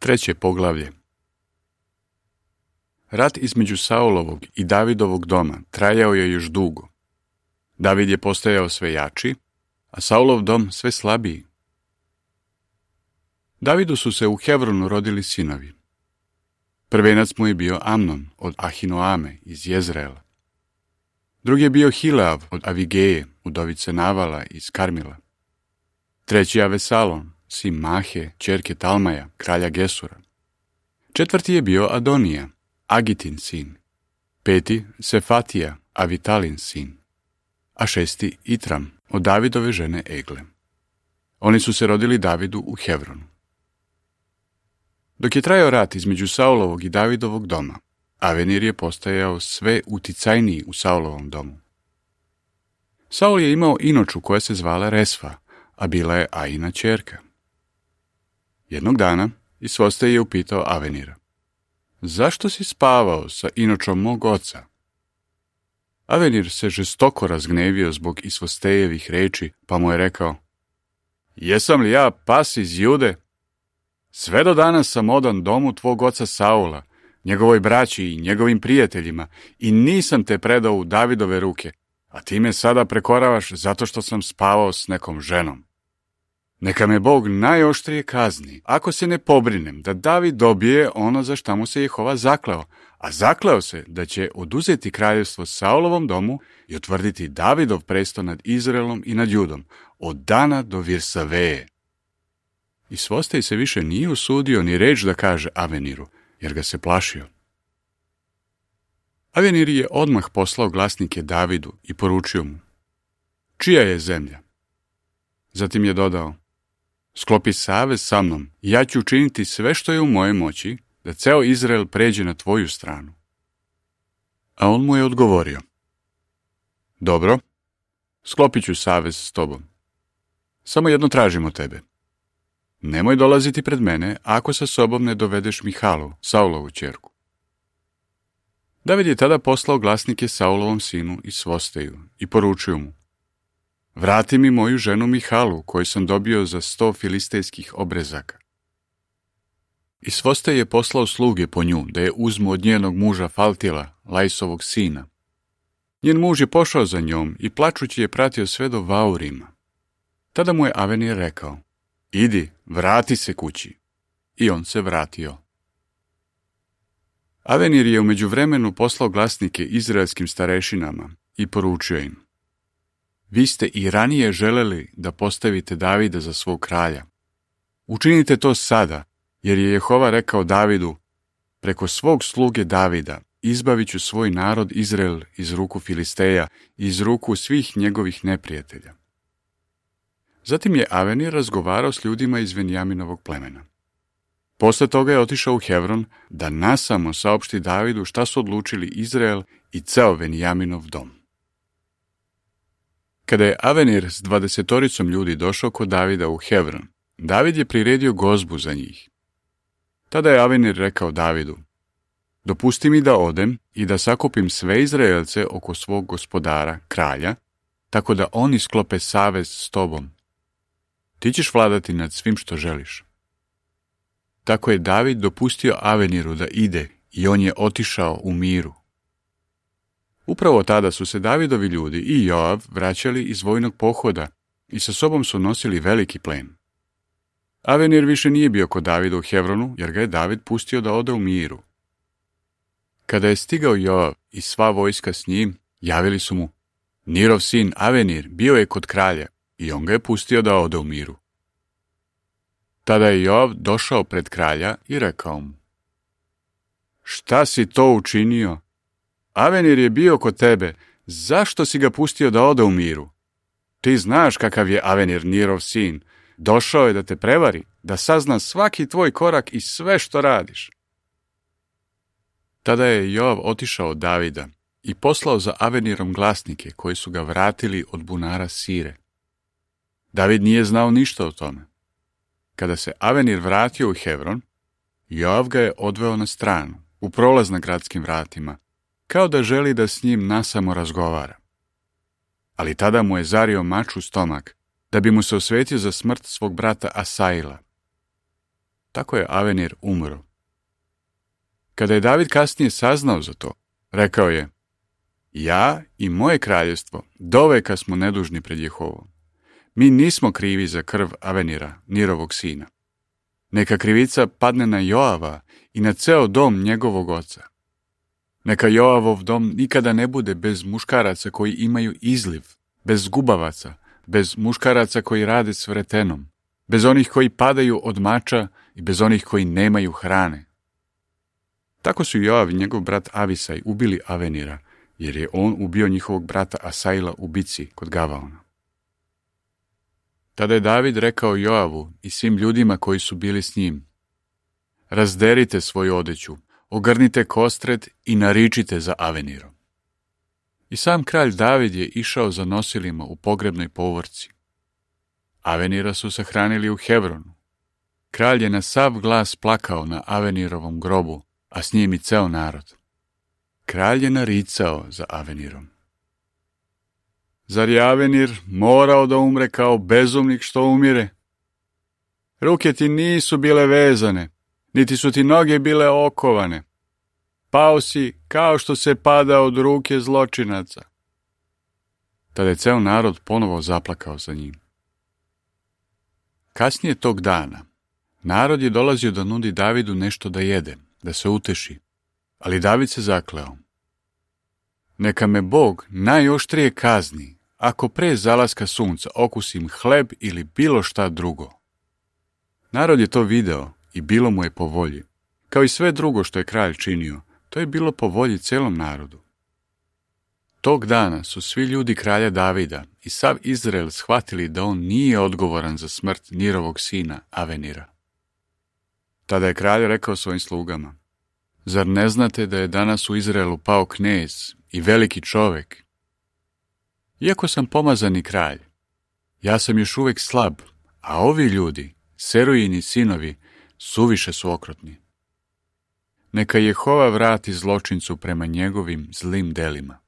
Treće poglavlje. Rat između Saulovog i Davidovog doma trajao je još dugo. David je postajao sve jači, a Saulov dom sve slabiji. Davidu su se u Hevronu rodili sinovi. Prvenac mu je bio Amnon od Ahinoame iz Jezreela. Drugi je bio Hileav od Avigeje, udovice Navala iz Karmila. Treći je Avesalom, sin Mahe, ćerke Talmaja, kralja Gesura. Četvrti je bio Adonija, Agitin sin. Peti Sefatija, Avitalin sin. A šesti Itram, od Davidove žene Egle. Oni su se rodili Davidu u Hevronu. Dok je trajao rat između Saulovog i Davidovog doma, Avenir je postajao sve uticajniji u Saulovom domu. Saul je imao inoču koja se zvala Resfa, a bila je Aina ćerka. Jednog dana Isvoste je upitao Avenira: zašto si spavao sa inočom mog oca? Avenir se žestoko razgnevio zbog Isvostejevih reči, pa mu je rekao: jesam li ja pas iz Jude? Sve do danas sam odan domu tvog oca Saula, njegovoj braći i njegovim prijateljima, i nisam te predao u Davidove ruke, a ti me sada prekoravaš zato što sam spavao s nekom ženom. Neka me Bog najoštrije kazni, ako se ne pobrinem da David dobije ono za šta mu se Jehova zakleo, a zakleo se da će oduzeti kraljevstvo Saulovom domu i utvrditi Davidov presto nad Izraelom i nad Judom, od Dana do Virsaveje. Isvostej se više nije usudio ni reč da kaže Aveniru, jer ga se plašio. Avenir je odmah poslao glasnike Davidu i poručio mu: čija je zemlja? Zatim je dodao: sklopi savez sa mnom i ja ću učiniti sve što je u mojoj moći da ceo Izrael pređe na tvoju stranu. A on mu je odgovorio: dobro, sklopit ću savez s tobom. Samo jedno tražim od tebe. Nemoj dolaziti pred mene ako sa sobom ne dovedeš Mihalu, Saulovu ćerku. David je tada poslao glasnike Saulovom sinu Isvosteju i poručio mu: vrati mi moju ženu Mihalu, koju sam dobio za 100 filistejskih obrezaka. Isvostej je poslao sluge po nju, da je uzmu od njenog muža Faltila, Lajsovog sina. Njen muž je pošao za njom i plačući je pratio sve do Vaurima. Tada mu je Avenir rekao: idi, vrati se kući. I on se vratio. Avenir je u međuvremenu poslao glasnike izraelskim starešinama i poručio im: vi ste i ranije želeli da postavite Davida za svog kralja. Učinite to sada, jer je Jehova rekao Davidu: preko svog sluge Davida izbavit ću svoj narod Izrael iz ruku Filisteja i iz ruku svih njegovih neprijatelja. Zatim je Avenir razgovarao s ljudima iz Venjaminovog plemena. Posle toga je otišao u Hevron da nasamo saopšti Davidu šta su odlučili Izrael i ceo Venjaminov dom. Kada je Avenir s 20 ljudi došao kod Davida u Hevron, David je priredio gozbu za njih. Tada je Avenir rekao Davidu: dopusti mi da odem i da sakupim sve Izraelce oko svog gospodara, kralja, tako da oni sklope savez s tobom. Ti ćeš vladati nad svim što želiš. Tako je David dopustio Aveniru da ide i on je otišao u miru. Upravo tada su se Davidovi ljudi i Joav vraćali iz vojnog pohoda i sa sobom su nosili veliki plen. Avenir više nije bio kod Davida u Hevronu, jer ga je David pustio da ode u miru. Kada je stigao Joav i sva vojska s njim, javili su mu: Nirov sin Avenir bio je kod kralja i on ga je pustio da ode u miru. Tada je Joav došao pred kralja i rekao mu: šta si to učinio? Avenir je bio kod tebe, zašto si ga pustio da ode u miru? Ti znaš kakav je Avenir, Nirov sin. Došao je da te prevari, da sazna svaki tvoj korak i sve što radiš. Tada je Joav otišao od Davida i poslao za Avenirom glasnike koji su ga vratili od bunara Sire. David nije znao ništa o tome. Kada se Avenir vratio u Hevron, Joav ga je odveo na stranu, u prolaz na gradskim vratima, kao da želi da s njim nasamo razgovara. Ali tada mu je zario mač u stomak, da bi mu se osvetio za smrt svog brata Asaila. Tako je Avenir umro. Kada je David kasnije saznao za to, rekao je: ja i moje kraljevstvo doveka smo nedužni pred Jehovom. Mi nismo krivi za krv Avenira, Nirovog sina. Neka krivica padne na Joava i na ceo dom njegovog oca. Neka Joavov dom nikada ne bude bez muškaraca koji imaju izliv, bez gubavaca, bez muškaraca koji rade s vretenom, bez onih koji padaju od mača i bez onih koji nemaju hrane. Tako su Joav i njegov brat Avisaj ubili Avenira, jer je on ubio njihovog brata Asaila u bici kod Gavaona. Tada je David rekao Joavu i svim ljudima koji su bili s njim: razderite svoju odeću, ogrnite kostret i naričite za Avenirom. I sam kralj David je išao za nosilima u pogrebnoj povorci. Avenira su sahranili u Hevronu. Kralj je na sav glas plakao na Avenirovom grobu, a s njim i ceo narod. Kralj je naricao za Avenirom. Zar je Avenir morao da umre kao bezumnik što umire? Ruke ti nisu bile vezane, niti su ti noge bile okovane. Pao si kao što se pada od ruke zločinaca. Tada je ceo narod ponovo zaplakao za njim. Kasnije tog dana, narod je dolazio da nudi Davidu nešto da jede, da se uteši, ali David se zakleo: neka me Bog najoštrije kazni, ako pre zalaska sunca okusim hleb ili bilo šta drugo. Narod je to video i bilo mu je po volji. Kao i sve drugo što je kralj činio, to je bilo po volji celom narodu. Tog dana su svi ljudi kralja Davida i sav Izrael shvatili da on nije odgovoran za smrt Nirovog sina Avenira. Tada je kralj rekao svojim slugama: zar ne znate da je danas u Izraelu pao knez i veliki čovek? Iako sam pomazani kralj, ja sam još uvek slab, a ovi ljudi, Serujini sinovi, suviše su okrutni. Neka Jehova vrati zločincu prema njegovim zlim delima.